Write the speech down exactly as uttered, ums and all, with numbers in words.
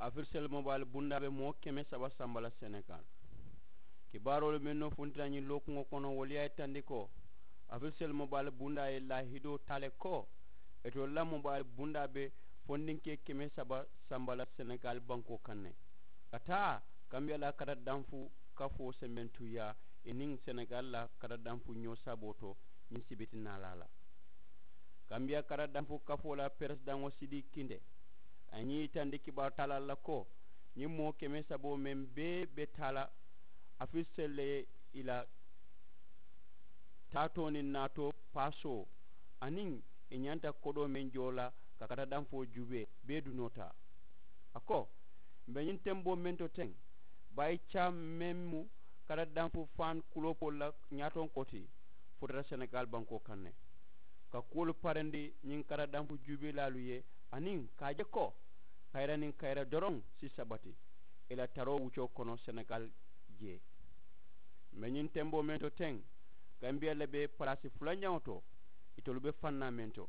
Afirisel mobaali bundaa be moo keme saba samba la senegal. Kibaaroolu mennu funti la ñiŋ lookuŋo kono wolu ye a yitandi ko afirisel mobaali bundaa ye laahidoo taa le ko itolu la mobaali bundaa be fondinkee keme saba samba la senegal bankoo kaŋ ne ka taa kambiya la kata danfu kafoo sembentuyaa i niŋ senegal la kata danfu ñoo saboo to ñiŋ sibiti naalaa la. Kambiya kata danfu kafoo la peresidaŋo sidii kinte a ye ñiŋ yitandi kibaaru taalaa la ko ñiŋ moo keme saboo meŋ bee be taa la afirisel le ye i la taatoo niŋ naatoo paasoo aniŋ i ñanta kodoo meŋ joo la ka kata danfoo juubee bee dunoo taa. A ko m̀ be ñiŋ temboo meŋ to teŋ baayi caa meŋ mu kata danfu faaŋ kuloopoolu la ñaatonkoo ti futata senegal bankoo kaŋ ne ka kuwolu parandi ñiŋ kata danfu juubeelaalu ye aniŋ ka a je ko kayira niŋ kayira doroŋ si sabati i la taroo wuccoo kono senegal jee. M̀ be ñiŋ temboo meŋ to teŋ kambiya le be palaasi fulanjaŋo to itolu be fannaa meŋ to.